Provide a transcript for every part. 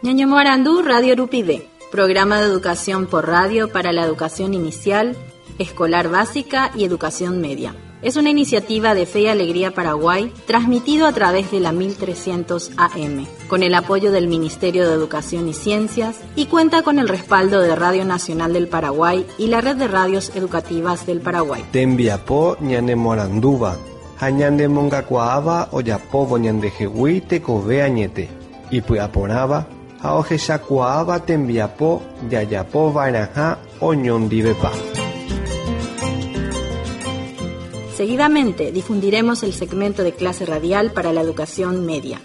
Ñañomoarandu Radio Rupive, programa de educación por radio para la educación inicial, escolar básica y educación media. Es una iniciativa de Fe y Alegría Paraguay, transmitido a través de la 1300 AM, con el apoyo del Ministerio de Educación y Ciencias y cuenta con el respaldo de Radio Nacional del Paraguay y la Red de Radios Educativas del Paraguay. Tembiapo ñanemoarandúva ha ñanemongakuaáva ojapóvo ñandehegui tekove añete, ipy'aporãva ha ohechakuaáva tembiapo jajapova'erãha oñondivepa. Seguidamente difundiremos el segmento de clase radial para la educación media.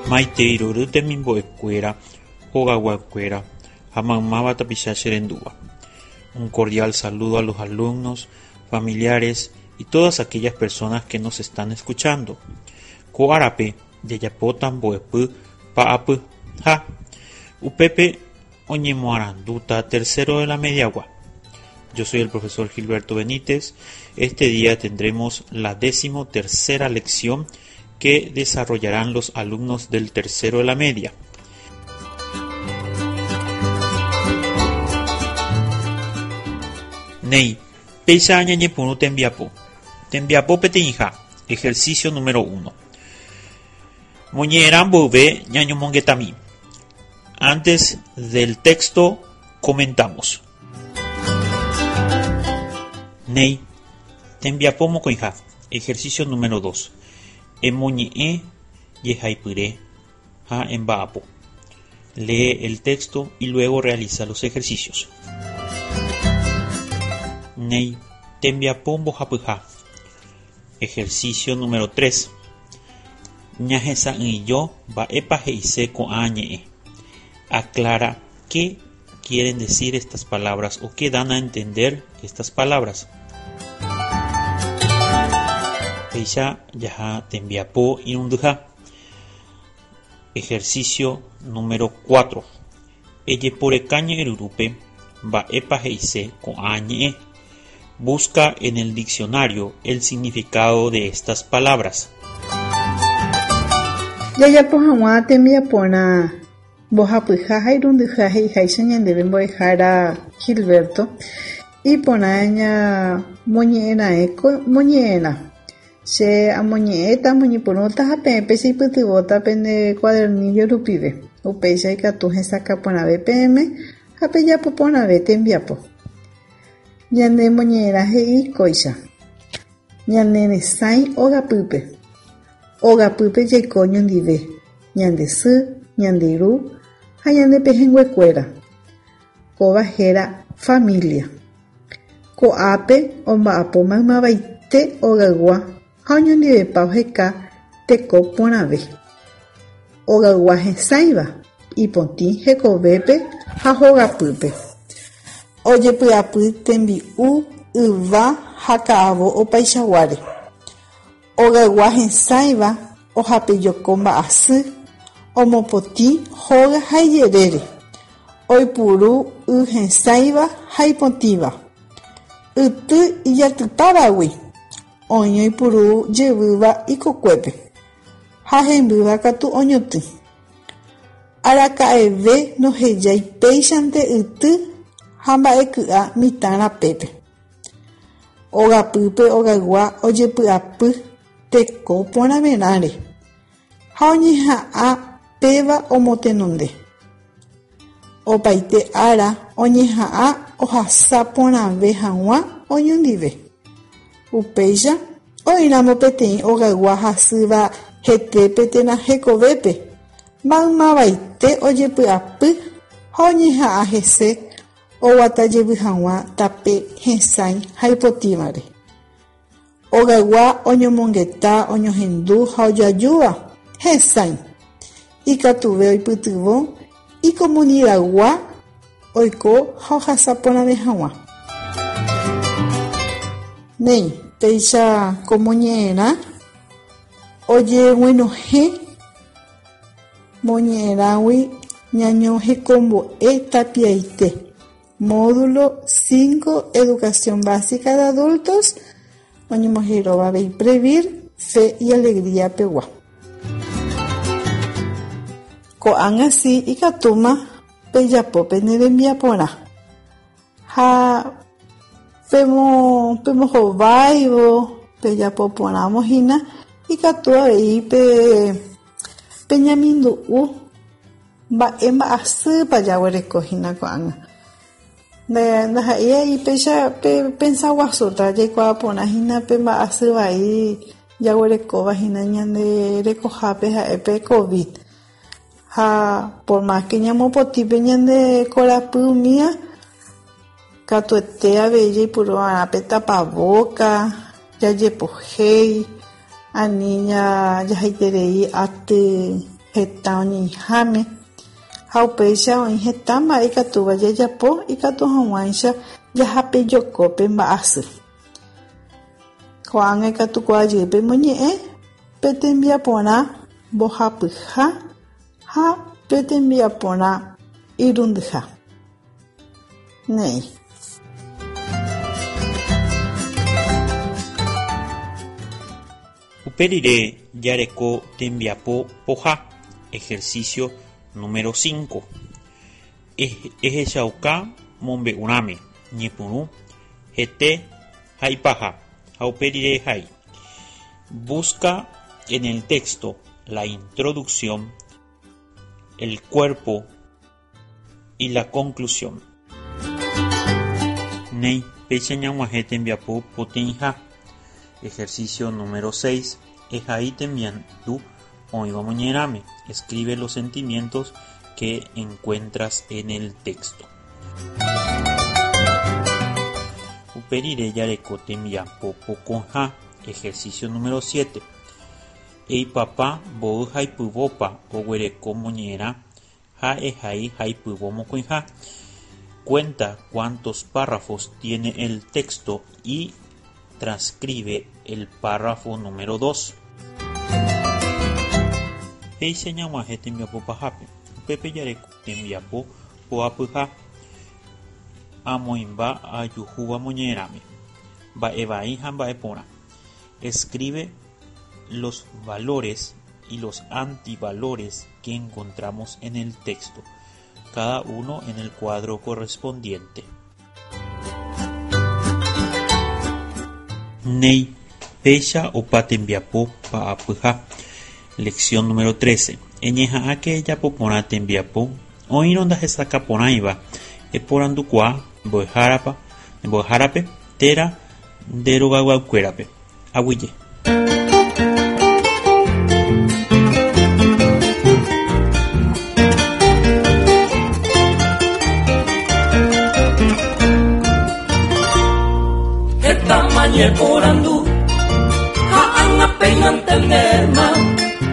Maitei rory temimbo'ekuéra, hogayguakuéra ha maymáva tapicha cherendúva. Un cordial saludo a los alumnos, familiares y todas aquellas personas que nos están escuchando. Ko árape jajapóta mbo'epy pa'apy ha upépe oñemoarandúta tercero de la mediagua. Yo soy el profesor Gilberto Benítez. Este día tendremos la 13.ª lección que desarrollarán los alumnos del tercero de la media. Néi, péicha ñañepyrũ tembiapo. Tembiapo peteĩha, ejercicio número uno. Moñe'ẽrã mboyve ñañomongetami. Antes del texto comentamos. Néi, tembiapo mokõiha, ejercicio número dos. Emoñe'ẽ jehaipyre ha emba'apo. Lee el texto y luego realiza los ejercicios. Néi, tembiapo mbohapyha, ejercicio número 3. Ñahesa'ỹijo mba'épa he'ise ko'ã ñe'ẽ. Aclara qué quieren decir estas palabras o qué dan a entender estas palabras. Péicha jaha tembiapo irundyha. Ejercicio número 4. Ejeporeka ñe'ẽryrúpe mba'épa he'ise ko'ã ñe'ẽ. Busca en el diccionario el significado de estas palabras. Jajapo hag̃ua tembiaporã mbohapyha ha irundyha he'iháicha ñandéve mbo'ehára Gilberto, iporã ñamoñe'ẽraẽ ko moñe'ẽrã. Che amoñe'ẽta, amoñepyrũta ha peẽ pecheipytyvõta pende cuadernillo rupive. Upéicha ikatu hesakã porãve peẽme ha pejapo porãve tembiapo. Ñane moñe'ẽrã he'i kóicha, Ñane resãi ogapýpe. Ogapýpe jaiko oñondive, ñande sy, ñande ru ha ñane pehẽnguekuéra. Kóva héra familia. Ko'ápe omba'apo maymavaite ogaygua ha oñondivepa oheka teko porãve. Ogaygua hesãiva, ipotĩ hekovépe ha hogapýpe. Ojepy'apy tembi'u, yva ha ka'avo opaichaguáre. Ogaygua hesãiva ohapejoko mba'asy, omopotĩ hóga ha ijerére, oipuru y hesãiva ha ipotĩva. Yty ijatypávagui oĩ oipuru jevýva ikokuépe, ha hembýva katu oñotỹ. Araka'eve ndohejái péichante yty ha mba'eky'a mitã rapépe. Ogapýpe ogaygua ojepy'apy teko porãverãre ha oñeha'ã péva omotenonde. Opaite ára oñeha'ã ohasa porãve hag̃ua oñondive. Upéicha, oĩramo peteĩ ogaygua hasýva hetépe térã hekovépe, maymavaite ojepy'apy ha oñeha'ã hese oguata jevy hag̃ua tape hesãi ha ipotĩvare. Ogaygua oñomongeta, oñohendu ha ojoajúva, hesãi. Ikatuve oipytyvõ ikomunidaygua oiko ha ohasa porãve hag̃ua. Néi, péicha ko moñe'ẽrã ojeguenohẽ moñe'ẽrãgui ñañohekombo'e tapiaite. Módulo 5 Educación Básica de Adultos oñemoheróva avei Previr, Fe y Alegría pegua. Ko'ág̃a si ikatúma pejapo pene rembiaporã ha pemohováivo pejapo porãvo hína ikatu avei pe peñamindu'u mba'e mba'asýpa jaguereko hína ko'ág̃a. Ndaha'éi ai péicha pepensa guasúta jaikuaa porã hína pe mba'asy vai jaguerekóva hína ñande rekohápe ha'e pe COVID. Ha por más que ñamopotĩ pe ñande korapy umía, katuete avei jaipuru va'erã pe tapaboca, jajepohéi, ani jahaiterei aty heta oñeĩháme. Ha upéicha oĩ heta mba'e ikatúva jajapo ikatu hag̃uáicha jahapejoko pe mba'asy. Ko'ág̃a ikatukuaa jey pemoñe'ẽ pe tembiaporã mbohapyha ha pe tembiaporã irundyha. Néi. Upe rire jareko tembiapo poha, ejercicio número 5. Ehechauka mombe'urãme ñepyrũ, hete ha ipaha, ha upe rire ehai. Busca en el texto la introducción, el cuerpo y la conclusión. Néi, péicha ñag̃uahẽ tembiapo poteĩha. Ejercicio número 6. Ehai temiandu oĩva moñe'ẽrãme. Escribe los sentimientos que encuentras en el texto. Upe rire jareko tembiapo pokõha. Ejercicio número 7. Eipapa mboy haipyvópa oguereko moñe'ẽrã ha ehai haipyvo mokõiha. Cuenta cuántos párrafos tiene el texto y transcribe el párrafo número 2. Péicha ñag̃uahẽ tembiapo pahápe. Upépe jareko tembiapo poapyha amoĩmba ajuhúva moñe'ẽrãme. Mba'e vai ha mba'e porã. Escribe los valores y los antivalores que encontramos en el texto, cada uno en el cuadro correspondiente. Néi, péicha opa tembiapo pa'apyha. Lección número 13. Eñeha'ãke ejapo porã tembiapo oĩrõ ndahesakãporãiva eporandukuaa mbo'ehárape térã nde rogayguakuérape. Aguyje. Heta ñeporandu ha ág̃a péina entendéma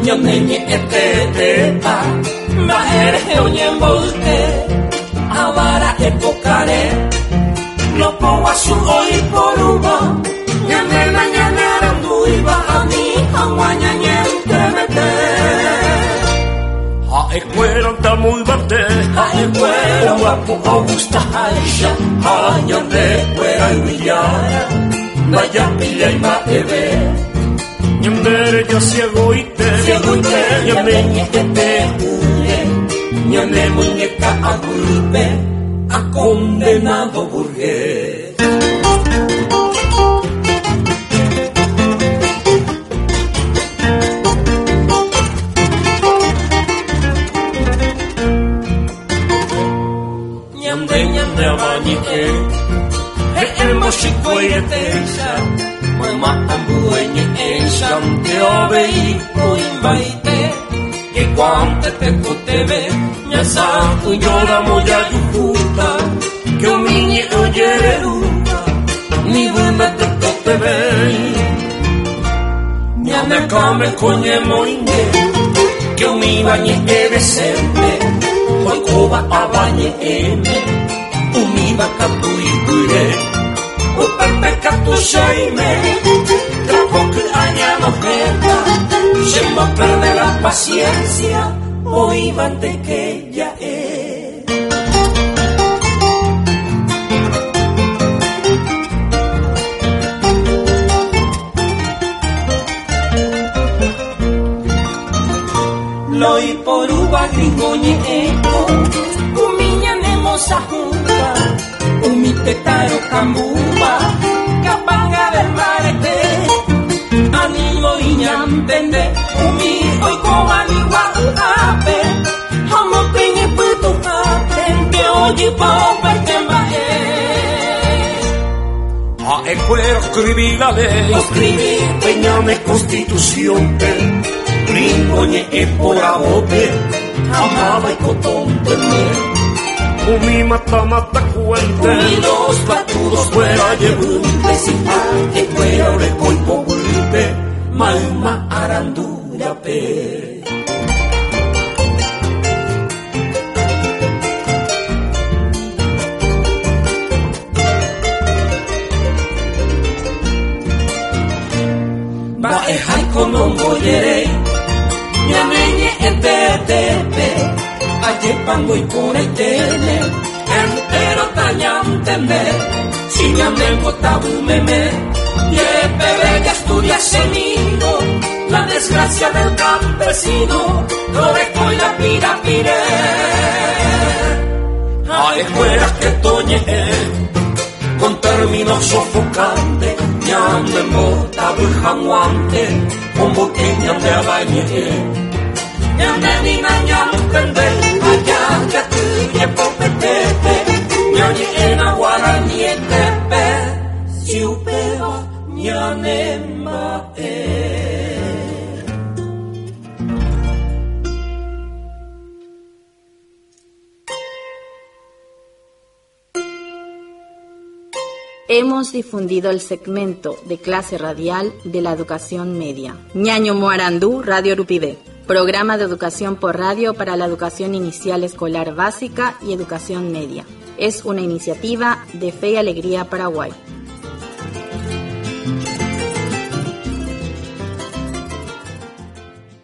ñane ñe'ẽ teetépa mba'e rehe oñemboyke avara'e pokare lopoguasu oiporúva ñande nañanearandúiva ani hag̃ua ñañentremete. Ha'ekuéra amo yvate ha'ekuéra oguapo ogustaháicha ha ñandekuéra yvyjára ndajapillái mba'eve. Ñandereja ciegoite ciegoite ñane ñe'ẽte hũre ñane muñeca aguýpe ha condenado burgués. Ñande ñande avañe'ẽ he'ẽmbo chikuairetéicha mayma ambue ñe'ẽichante avei oĩmbaite jaikuaánte tekotevẽ ñasã'ỹjóramo jajuhúta que umi ñe'ẽ ojererúta ni vyme tekotevẽi ñane akãme ko ñemoinge que umíva ñe'ẽ decente oikóva avañe'ẽme umíva katu ipyre upépe katu cheime trapo ky'a ñanohẽta chemboperde la paciencia oĩvante que ja'e. Loiporúva gringo ñe'ẽko umi ñanemosahũva umi tetã rokambúva kapanga mbarete animo iñantende umi oikóva ygua'yhápe ha mopeñepytuhápente ojypa opaite mba'e. Ha'ekuéra oscribí la ley, Oscribí pe ñane constitución-pe, gringo ñe'ẽ poravópe, ha máva ikotónteme. Umi mata mata kuénte, Umi los patudos kuéra jevýnte, si ha'ekuéra oreko ipoguýpe mayma arandu rape. Mba'eháiko nombojeréi ñane ñe'ẽ tetépe ajépango iporãiténe entero tañantende si ñanembotavy meme jepeve jaestudiasemíro la desgracia del campesino ndorekói la pirapire. Ha'ekuéra ketoñe'ẽ con términos sofocantes ñanembotavy hag̃uánte omboyke ñande avañe'ẽ. Ñande nina ñantende aja jaty jepopetépe ñañe'ẽna guaranietépe si upéva ñanemba'e. Hemos difundido el segmento de clase radial de la educación media. Ñaño Moarandú, Radio Rupivé. Programa de educación por radio para la educación inicial escolar básica y educación media. Es una iniciativa de Fe y Alegría Paraguay.